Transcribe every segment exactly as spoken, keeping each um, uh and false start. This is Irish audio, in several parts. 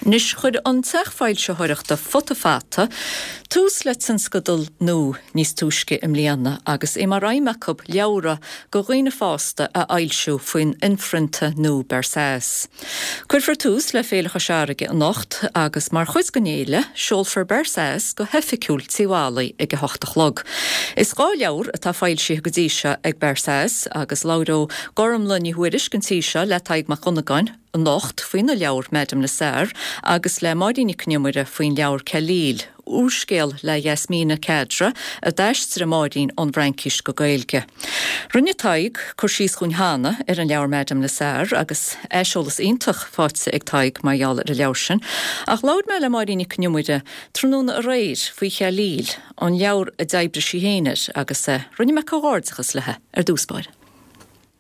Anois chuir an teach foilsitheoireachta Futa Fata tús le tionscadal nua níos túisce i mbliana agus é mar aidhm acu leabhra do dhaoine fásta a fhoilsiú faoin inphrionta nua Barzaz. Cuirfear tús le Féile Chois Fharraige anocht agus mar chuid den fhéile seolfar Barzaz go hoifigiúil Tí Mholly ag a hocht a chlog. Is dhá leabhar atá foilsithe go dtí seo ag Barzaz agus labhróidh Gormlaith Ní Thuairisg an tí seo le Tadhg Mac Dhonnagáin anocht faoina leabhar Madame Lazare agus le Máirín Nic Con Iomaire faoin leabhar Khalil, úrscéal le Yasmina Khadra a d'aistrigh Máirín ón bhFraincis go Gaeilge. Rinne Tadhg cur síos dúinn cheana ar an leabhar Madame Lazare agus aiseolas iontach faighte ag Tadhg mar gheall ar an leabhar sin, ach labhair mé le Máirín Nic Con Iomaire tráthnóna aréir faoi Khalil, an leabhar a d'oibrigh sí féin air agus eh, rinne mé comhghairdeachas léi ar dtús báire.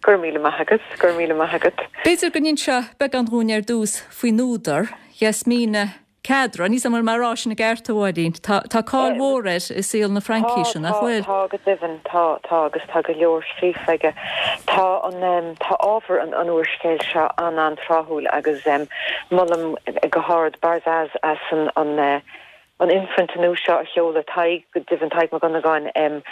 Gur míle maith agat, gur míle maith agat. B'fhéidir go n-inseofá beagán dúinn ar dtús faoin údar, Yasmina Khadra, ní mar mar sin i gceart a Mháirín, Tá tá cáil mhór air i saol na Fraincise nach bhfuil. Tá go deimhin tá tá agus tá go leor scríofa aige. Tá an tá ábhar an an úrscéil seo an an-tráthúil agus um, molaim go hard Barzaz as an an uh, an inphrionta nua seo a sheoladh Tadhg go deimhin Tadhg Mac Dhonnagáin um,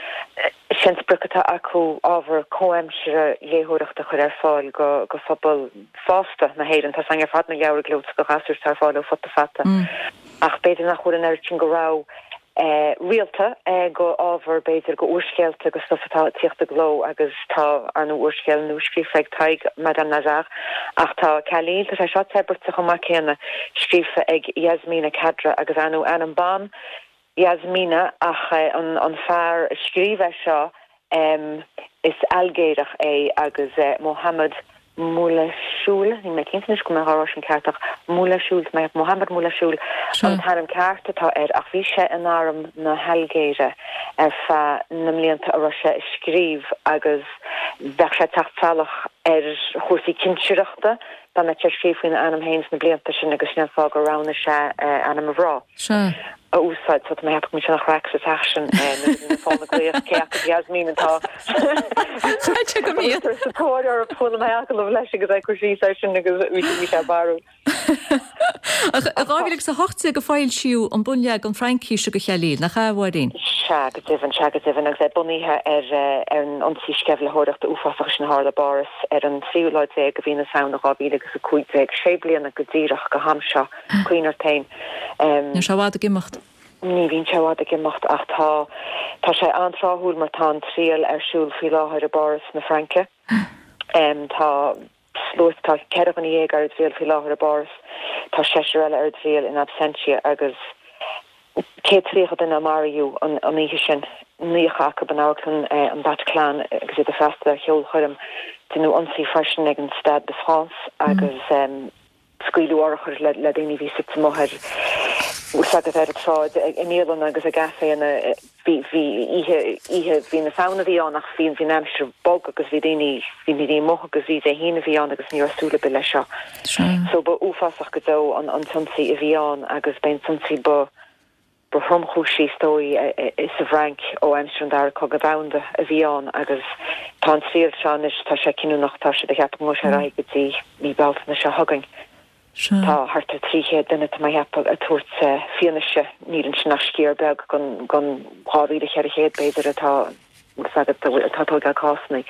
sin sprioc atá acu ábhar comhaimseartha léitheoireachta a chur ar fáil go go phobal fásta na hÉireann Tá san ar fad na leabhair gleoite go ghasúir ar fáil ó Futa Fata. Mm. Ach b'fhéidir nach bhfuil an oiread sin go raibh eh, rialta eh, go ábhar b'fhéidir go úrscéalta agus stuff atá ag tíocht i gcló agus tá an úrscéal nua scríofa ag Tadhg Madame Lazare ach tá Khalil tá sé seo teberta chomh maith céanna scríofa ag Yasmina Khadra agus anu ainm ban Yasmina ach eh, an, an fear a scríobh é seo um, is Ailgéireach é agus eh, Mohamed Moulhassoul ní mé cinnte go mé rá sin ceart ach Moulhassoul mé Mohamed Moulhassoul an t-ainm ceart atá air ach bhí sé in arm na hAilgéire ar feadh na mblianta a raibh sé ag scríobh agus bheadh sé teacht salach ar chúrsaí cinsireachta dá mbeadh sé scríobh faoina ainm féin sna blianta sin agus sin fáth gur roghnaigh sé ainm a mhná. a úsáid so mé mé sin chraic sa teach sin fána glaoch cé Yasmin atá go mí sa tóir ar chuala mé agallamh leis agus é cur síos air sin agus bhí sé barú. Dhá mhíle agus a hocht déag a foilsíodh an bunleagan Fraincise de Khalil nach ea a Mháirín. Sea go deimhin sea go deimhin agus é bunaithe ar ar an ionsaí sceimhlitheoireachta uafásach sin a tharla i bPáras ar an tríú lá déag de mhí na Samhna dhá mhíle agus a cúig déag sé bliana go díreach go ham seo cuimhnigh ort féin. Ní sé bhfad ag imeacht. Ní bhíonn sé i bhfad ag imeacht ach tá tá sé an-tráthúil mar tá an triail ar siúl faoi láthair i bPáras na Fraince. Um, tá sluaite tá ceithre dhuine dhéag ar triail faoi láthair i bPáras, tá seisear eile ar triail in absentia agus céad tríocha duine a maraíodh an an oíche sin naocha acu in amharclann eh, an Bataclan agus iad ag freastal ar cheolchoirm deineadh ionsaí freisin ag an Stade de France agus um, scaoileadh urchair le, le daoine bhí suite amuigh ar agus ar an tsráid i mbialanna agus i gcaiféanna bhí bhí oíche oíche mhí na Samhna bhí ann ach bhí bhí an aimsir bog agus bhí daoine bhí daoine amuigh agus bhí Dé hAoine bhí ann agus ní raibh súil ar bith leis seo. So ba uafásach go deo an an t-ionsaí a bhí ann agus b'é an t-ionsaí ba ba thromchúisí is dóigh sa bhFrainc ó aimsir an dara cogadh domhanda a bhí ann agus tá an triail seo anois tá sé cinniúnach tá sé de cheapadh go sé go dtí mí Bealtaine seo chugainn. Tá thart ar trí chéad duine tá mé ag ceapadh ag tabhairt fianaise níl ansin ach sciar beag den den dhá mhíle ceithre chéad b'fhéidir atá atá ag tógáil cásanna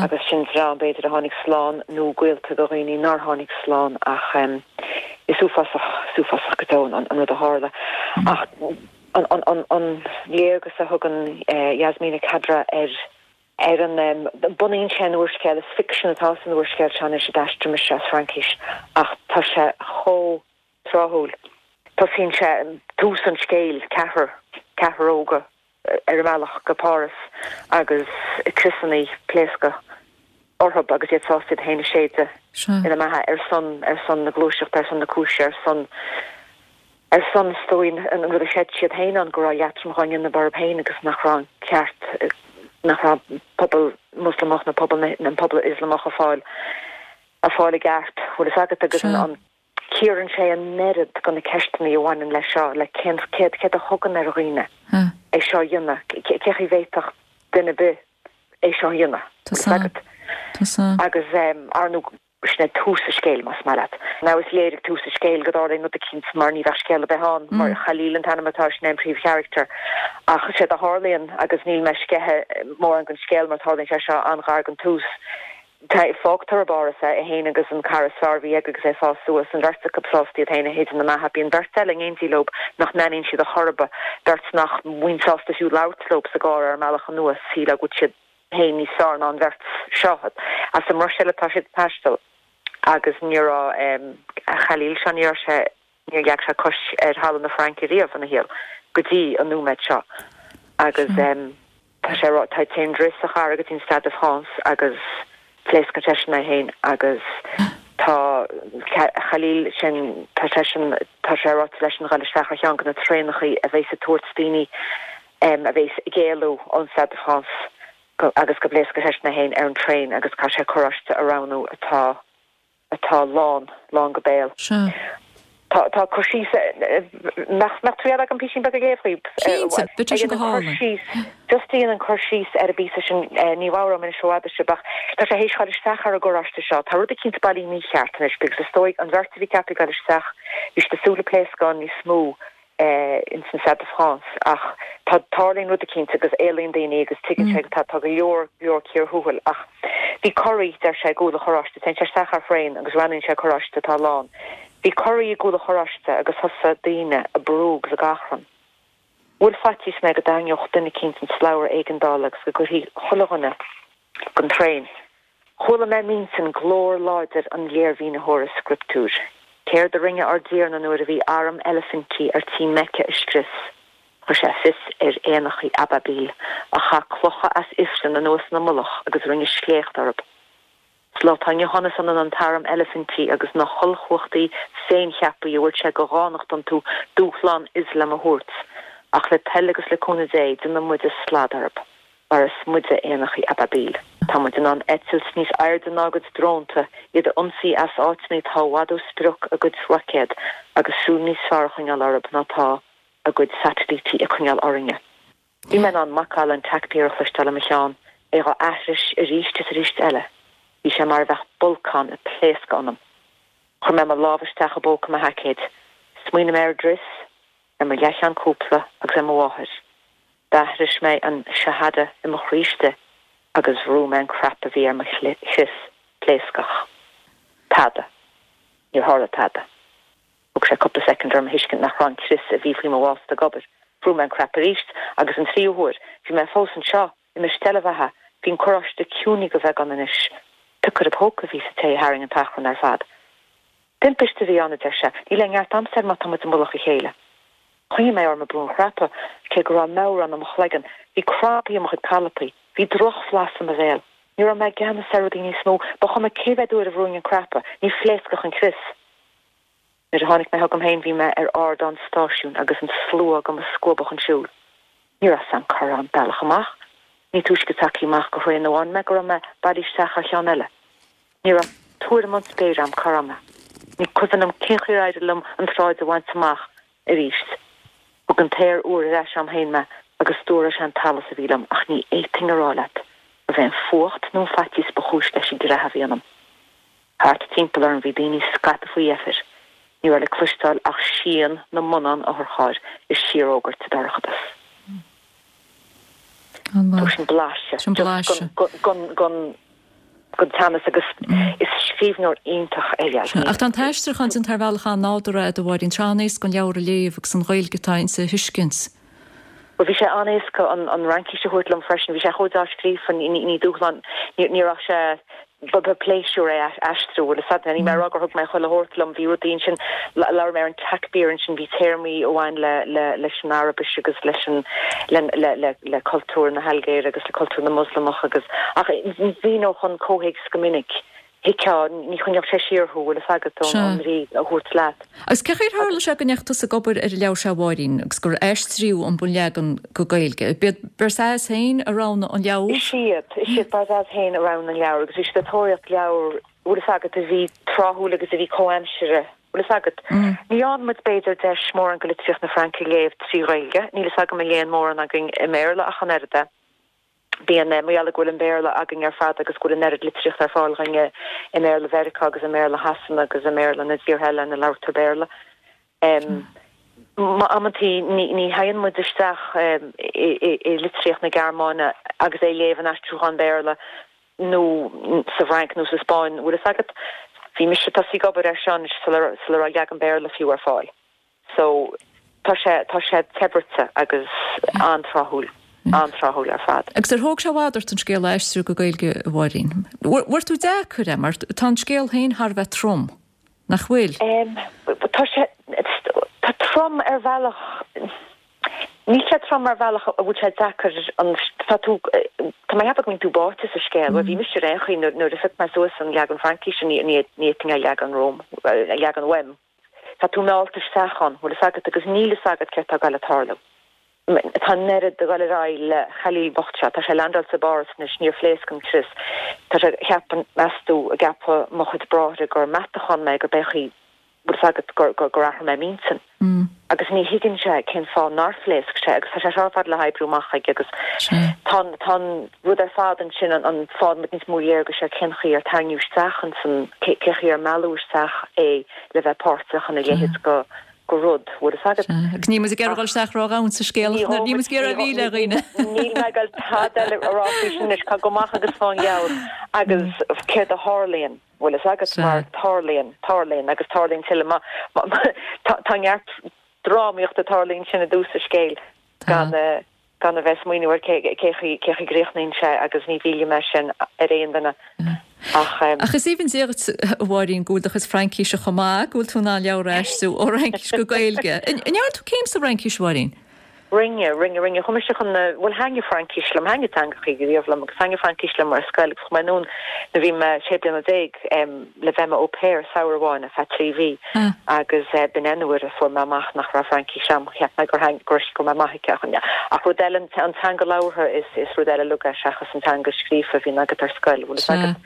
agus sin dream b'fhéidir a tháinig slán nó gaolta do dhaoine nár tháinig slán ach um, is uafásach uafásach go deo an, an rud a tharla ach an, an, an, an léargas a thugann uh, Yasmina Khadra ar ar an um, bunaíonn sé an úrscéal is fiction atá san úrscéal seo anois a d'aistrigh mise as Fraincis ach tá sé chomh tráthúil. Tosaíonn sé tús an scéil ceathrar ceathrar óga ar a mbealach go Páras agus criosanna pléasctha orthu agus iad sásta iad féin a shéideadh ina mbeatha ar son ar son na gluaiseachta ar son na cúise ar son ar son is dóigh an rud a chreid siad féin an go raibh leatrom á dhéanamh orthu féin agus nach raibh an ceart nach raibh pobal Moslamach na pobal an pobal Ioslamach ag fáil ag fáil a gceart bhfuil fhios agat agus an an cíorann sé an oiread de na ceisteanna a bhaineann leis seo le cén céad céard a thugann ar dhaoine é seo a dhéanamh cé chaoi bhféadfadh duine ar bith é seo a dhéanamh agat agus um, ar nó Sin é tús an scéil, más maith leat. Now is léir ag tús an scéil go dtarlaíonn rud eicínt mar ní bheadh scéal ar bith ann mar Khalil an t-ainm atá air, sin é an príomhcharachtar. Ach séard a tharlaíonn, agus níl mé ag sceitheadh mórán den scéal mar tarlaíonn sé seo an-ghar don tús, fágtar i bPáras é, é féin agus an cara is fearr a bhí aige agus é ag fás suas, an bheirt acu sásta iad féin a shéideadh ina mbeatha. Bíonn beirt eile in éindí leo nach n-aithníonn siad ar chor ar bith, beirt nach mbíonn sásta fiú labhairt leo sa gcarr ar an mbealach anuas, shílfeá go bhfuil siad féin níos fearr ná an bheirt seo. As an mBruiséil atá siad ag taisteal agus ní raibh Khalil seo, ní raibh sé, níor leag sé cois ar thalamh na Fraince riamh ina shaol go dtí an nóiméad seo. Agus tá sé, tá téann Driss a chara go dtí an Stade de France agus pléascann seisean é féin agus tá Khalil sin, tá seisean, tá sé ráite leisean a dhul isteach ar cheann de na traenachaí a bheas ag tabhairt daoine a bheas ag éalú ón Stade de France agus go bpléascfaidh seisean é féin ar an traein agus caithfidh sé carráiste a roghnú atá atá lán, lán go béal. Sea. Tá, tá cur síos, nach, nach triail agam písín beag a léamh dhaoibh? Cinnte, bheadh sé sin go Cur hálainn. síos, just déanann cur síos ar an bpíosa sin, ní mheabhróidh mé anois ó fhada sibh ach tá sé théis dhul isteach ar an gcarráiste seo. Tá rud eicínt bailí mícheart anois because is dóigh an bheirt a bhí ceaptha ag dul isteach, bhí siad ag súil le pléascán níos mó ins an Stade de France ach tá tarlaíonn rud eicínt agus éalaíonn daoine agus tuigeann sé go tá tá go leor leor cíor thuathail ach bhí corraí deir sé i gcúl an charráiste téann sé isteach ar thraein agus roghnaíonn sé carráiste atá lán. Bhí corraí i gcúl an charráiste agus thosaigh daoine ag brú agus ag achrann. Bhuail faitíos mé go dtarraingeodh duine eicínt an slabhra éigeandála agus go gcuirfí chuile dhuine den traein. Chuala mé m'intinn glór láidir an léirmhínitheora scrioptúir. Céard a rinne ár dTiarna nuair a bhí arm eilifintí ar tí Mecca a scrios? Chuir sé fios ar éanachaí Ababil, a chaith clocha as ifreann anuas ina mullach agus rinne sléacht orthu. Sa lá atá inniu ann is ionann an t-arm eilifintí agus na hollchumhachtaí féincheaptha a bhfuil sé de dhánacht iontu dúshlán Ioslam a thabhairt, ach le toil agus le cúnamh Dé, déanfaidh muide slad orthu. Mar is muide éanachaí Ababil. Tá muid in ann eitilt níos airde ná a gcuid drónta, iad a ionsaí as áiteanna atá i bhfad ó sprioc a gcuid roicéad, agus súil níos fearr a choinneáil orthu ná tá a gcuid satailítí ag coinneáil orainne. Bhí mé in ann macalla an takbir a chloisteáil i mo cheann, é á aithris arís is arís eile. Bhí sé mar a bheadh bolcán ag pléascadh ionam. Chuir mé mo lámh isteach i bpóca mo sheaicéid. Smaoinigh mé ar Driss, ar mo leathcheann cúpla agus ar mo mháthair. D'aithris mé an shahada i mo chroí istigh agus bhrúigh mé an cnaipe a bhí ar mo chrios pléascach. Tada. Níor tharla tada. Thóg sé cúpla soicind orm a thuiscint nach raibh an crios a bhí faoi mo bhásta ag obair. Bhrúigh mé an cnaipe arís agus an tríú huair. Bhí mé fós anseo, i mo steillebheatha. Bhí an carráiste ciúnaithe go bheagán anois. Piocaire póca a bhí sa té a tharraing an t-achrann ar fad. Timpiste a bhí ann, a deir sé. Níl aon neart agamsa air má tá muid i mullach a chéile. Choinnigh mé orm ag brú an chnaipe, cé go raibh meabhrán i mo chloigeann. Bhí crampaí i mo chuid calapaí. Bhí drochbhlas i mo bhéal. Ní raibh mé i gceannas ar rudaí níos mó. Ba chuma cé mhéad uair a bhrúinn an cnaipe, ní phléascfadh an crios. Nuair a tháinig mé chugam féin bhí mé ar ardán stáisiúin agus an slua do mo scuabadh chun siúil. Ní raibh 's a'm cá raibh an bealach amach. Ní túisce tagtha amach go thraein amháin mé go raibh mé bailithe isteach ar cheann eile. Ní raibh tuairim ón spéir a'm cá raibh mé. Ní cuimhin liom cén chaoi ar éirigh liom an tsráid a bhaint amach arís. Thug an t-aer úr ar ais a'm féin mé agus stiúraigh sé an t-allas a bhí liom ach ní fhéadfainn a rá leat gurbh é an fuacht nó an faitíos ba chúis leis an gcreathadh a bhí ionam. Thart timpeall orm bhí daoine scaipthe faoi dheifir. Ní raibh le cloisteáil ach síon na mbonnán otharchairr ag síorfhógairt sa dorchadas. An-mhaith. Sin blaiseadh. Sin blaiseadh. Gon, gon, gon teannas agus is scríbhneoir iontach é Yasmine. Ach tá an t-aistriúchán déanta ar bhealach an-nádúrtha a Mháirín, tá an-éasca an leabhar a léamh agus an Ghaeilge atá inti a thuiscint. Well bhí sé an-éasca an an Fhraincis a thabhairt liom freisin, bhí sé chomh dea-scríofa ní ní dúshlán ní ní raibh sé ba ba pléisiúr é aistriú bhfuil fhios a'd ní mé rá gur thug mé chuile shórt liom bhí rudaí ansin labhair mé ar an takbir ansin bhí téarmaí a bhain le le leis an Araibis agus leis an le le le le cultúr na hAilgéire agus le cultúr na Moslamach agus ach mhíneodh an comhthéacs go minic. Thuigfeá ní choinneodh sé siar thú bhfuil fhios agat ón Sea. bhrí a thabhairt leat. Agus cén chaoi ar tharla sé go ndeachaigh tusa ag obair ar an leabhar seo a Mháirín agus gur aistríodh an bunleagan go Gaeilge. B'iad Barzaz féin a roghnaigh an leabhar? Is iad, is iad Barzaz féin a roghnaigh an leabhar agus bhí siad ag tóraíocht leabhar bhfuil fhios agat a bhí tráthúil agus a bhí comhaimseartha. Bhfuil fhios agat. Ní fhaigheann muid b'fhéidir deis mórán go litríocht na Fraince a léamh trí Ghaeilge, níl fhios agam an léann mórán againn i mBéarla ach an oiread. Bíonn mar gheall go bhfuil an Béarla againn ar fad agus go bhfuil an oiread litríochta ar fáil againn i mBéarla Mheiriceá agus i mBéarla Shasana agus i mBéarla na dtíortha eile ina labhartar Béarla. Amantaí ní théann muid isteach i litríocht na Gearmáine agus é a léamh in aistriúchán Béarla nó sa bhFrainc nó sa Spáinn, bhfuil fhios agat. Bhí mise ag tosú ag obair air seo anois sula raibh leagan Béarla fiú ar fáil. So tá sé tá sé teberte agus an-tráthúil, an-tráthúil ar fad. Agus ar thóg sé i bhfad ort an scéal a aistriú go Gaeilge, a Mháirín? Bhfuair tú deacair é mar tá an scéal féin thar a bheith trom, nach bhfuil? Tá sé tá trom ar bhealach níl sé trom ar bhealach a bhfuil sé deacair an tá tú tá mé ag ceapadh go mbíonn tú báite sa scéal, bhuel bhí mise ar aon chaoi nuair a phioc mé suas an leagan Fraincíse ní ní fhéadfainn a leagan romham, a leagan uaim. Tá tú meallta isteach ann, bhfuil fhios agat, agus níl fhios agat céard tá ag dul a tarlú. Tá an oiread ag dul ar aghaidh le Khalil bocht seo, tá sé landáilte i bPáras anois, níor phléasc an crios. Tá sé, cheapfainn, meas tú, a gceapfadh mo chuid bráithre gur meatachán mé, gur b'é an chaoi, bhfuil fhios agat, gur, gur, gur athraigh mé m'intinn. Agus ní thuigeann sé cén fáth nár phléasc sé agus tá sé seo ar fad le hoibriú amach aige agus tá an, tá an rud ar fad ansin, an, an faigheann muid níos mó léargais ar cén chaoi ar tarraingíodh isteach ansan, cé, cé chaoi ar mealladh isteach é le bheith páirteach ina leithéid go, go rud, bhfuil fhios agat. Agus níl muid ag iarraidh dul isteach ródhomhain sa scéal, ach níl muid ag iarraidh a mhilleadh ar dhaoine. Níl mé ag dul tada eile a rá faoi sin anois, gabh amach agus faigh an leabhar agus céard a tharlaíonn, bhfuil fhios agat, mar tarlaíonn, tarlaíonn agus tarlaíonn tuilleadh. Tá neart drámaíochta ag tarlú ansin i dtús an scéil gan gan a bheith ag smaoineamh ar cé cé chaoi cé chaoi gcríochnaíonn sé agus ní mhillfidh mé sin ar aon duine ach. Ach is aoibhinn Dia dhuit, a Mháirín, go bhfuil do chuid Fraincíse chomh maith, go bhfuil tú in ann leabhar a aistriú ó Fhraincis go Gaeilge. An ndearna tú céim sa Fhraincis, a Mháirín? Rinne, rinne, rinne. Chuaigh mise chun na, bhuel thaitnigh Fraincis liom, thaitnigh teangachaí riamh liom agus thaitnigh Fraincis liom ar scoil agus chuaigh mé anonn nuair a bhí mé sé bliana déag le bheith i mo au pair samhradh amháin ar feadh trí mhí agus b'in é an uair a fuair mé amach nach raibh Fraincis a'm, cheap mé gur gur go raibh mé maith aici ach ach rud eile an teanga labhartha is is rud eile uilig é seachas an teanga scríofa a bhíonn agat ar scoil, bhfuil fhios agat.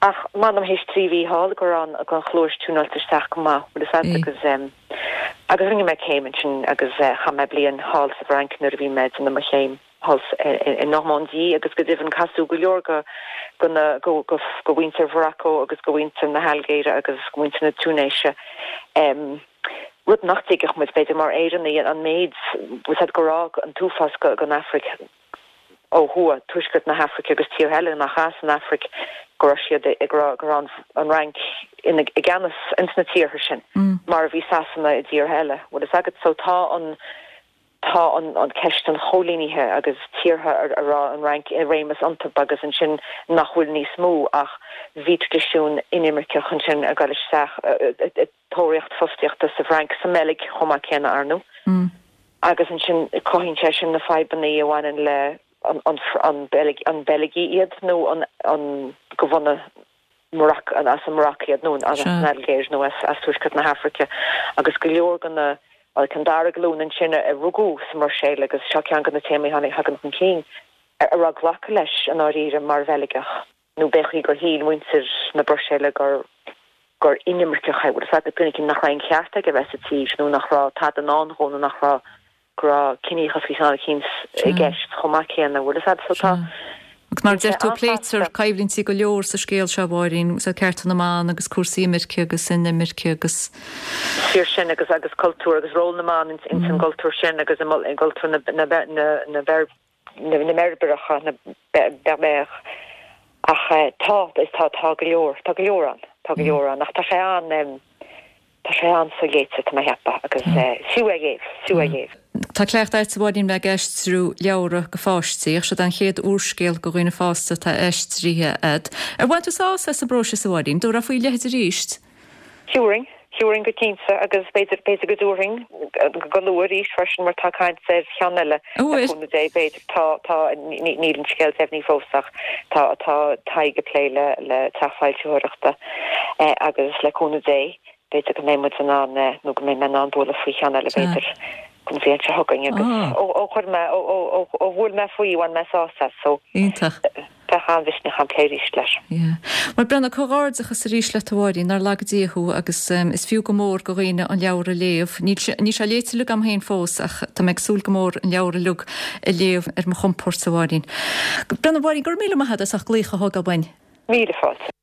Ach m'anam théis trí mhí thall go raibh an chluais tiúnáilte isteach go maith, bhfuil fhios agat, agus agus rinne mé céim ansin agus chaith mé bliain thall sa bhFrainc nuair a bhí mé ag déanamh mo chéim thall i Normandie agus go deimhin casadh go leor go go na go go go mhuintir Mharacó agus go mhuintir na hAilgéire agus go mhuintir na Túinéise. Rud nach dtuigfeadh muid b'fhéidir mar Éireannaigh an méid bhfuil fhios agat go raibh an t-uafás go gon Afraic ó thuaidh, tuaisceart na hAfraice agus tíortha eile nach as an Afraic, go raibh siad ag rá go raibh an Fhrainc ina i gceannas ins na tíortha sin, mar a bhí Sasana i dtíortha eile. Bhfuil fhios agat? So tá an tá an an ceist an choilínithe agus tíortha a a raibh an Fhrainc i réimeas iontu agus ansin nach bhfuil níos mó ach bhí traidisiún inimirceach ansin ag dul isteach ag tóraíocht fostaíochta sa bhFrainc, sa mBeilg chomh maith céanna, ar ndóigh. Agus ansin cothaíonn sé sin na fadhbanna a bhaineann le an an Beilgigh iad nó an an go bhunadh Maroc an as an Maroc iad nó as an Ailgéir nó as as Tuaisceart na hAfraice agus go leor de na an dara glúin ansin a rugadh sa mBruiséil agus seo ceann de na téamaí a thagann chun cinn a raibh glacadh leis i ndáiríre mar Bheilgeach nó b'fhéidir gur shíl muintir na Bruiséile gur gur inimirceach é, bhfuil fhios agat, duine éicint nach raibh aon cheart aige a bheith sa tír nó nach raibh tada i ndán dhó nó nach raibh go raibh ciníochas faoi cheann eicínt i gceist chomh maith céanna, bhfuil fhios agat, so tá Agus mar a deir tú, pléitear coimhlintí go leor sa scéal seo, a Mháirín, so cearta na mban agus cúrsaí imirce agus inimirce agus. Fíor sin agus agus cultúr agus ról na mban ins an gcultúr sin agus i gcultúr na na na na na mBeirbeireacha, na Berbères. Ach tá, is tá, tá go leor, tá go leor ann, tá go leor ann. Ach tá sé an, tá sé an-soléite, tá mé a cheapadh, agus fiú é a léamh, fiú é a léamh. Tá cleachtadh agat, a Mháirín, bheith ag aistriú leabhra go pháistí, ach seod é an chéad úrscéal go dhaoine fásta atá aistrithe agat. Ar bhain tú sásamh as an bpróiseas, a Mháirín? Dtabharfá faoi a leithéid arís? Thabharfainn, thabharfainn go cinnte agus b'fhéidir, b'fhéidir go dtabharfainn go luath arís freisin mar tá caint ar cheann eile le cúnamh Dé, b'fhéidir. Tá, tá, níl an scéal deimhnithe fós ach tá, tá Tadhg ag plé le, le teach foilsitheoireachta agus le cúnamh Dé b'fhéidir go mbeidh muid in ann, nó go mbeidh mé in ann bualadh faoi cheann eile b'fhéidir an bhliain seo chugainn agus ó, ó chuir mé, ó, ó, ó, ó bhuail mé faoi bhain mé sásamh as so. Iontach. Bheadh an-mhisneach agam plé arís leis. Yeah. Bhuel Brenda, comhghairdeachas arís leat a Mháirín, nár laga Dia thú agus is fiú go mór go dhaoine an leabhar a léamh. Níl sé, níl sé léite uilig agam féin fós ach tá mé ag súil go mór an leabhar uilig a léamh ar mo chompord a Mháirín. Brenda, Mháirín, go raibh míle maith agat as glaoch a thógáil uainn. Míle fáilte.